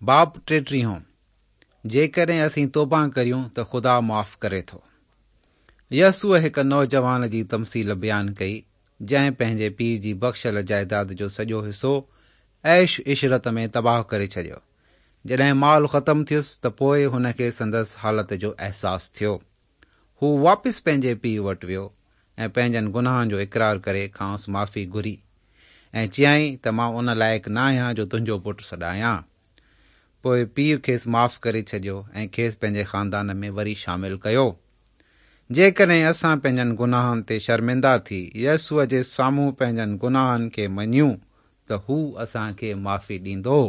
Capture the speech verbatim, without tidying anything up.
باب ٽيٽيهون، جيڪڏهن اسين توبه ڪريون ته خدا معاف ڪري ٿو. يسوع هڪ نوجوان جي تمثيل بيان ڪئي، جنهن پنهنجي پيء جي بخشيل جائداد جو سڄو حصو عيش عشرت ۾ تباهه ڪري ڇڏيو. جڏهن مال ختم ٿيس ته پوء هن کي سندس حالت جو احساس ٿيو. هو واپس پنهنجي پيء وٽ ويو ۽ پنهنجن گناهن جو اقرار ڪري کانئس معافي گهري ۽ چيائين ته مان ان لائق نه آهيان جو تنهنجو پٽ سڏايان. پوء پيء کيس معاف ڪري ڇڏيو ۽ کيس پنهنجي خاندان ۾ وري شامل ڪيو. جيڪڏهن اسان پنهنجن گناهن تي شرمنده ٿي يسوع جي سامهون پنهنجن گناهن کي مڃيون ته هو اسان کي معافي ڏيندو.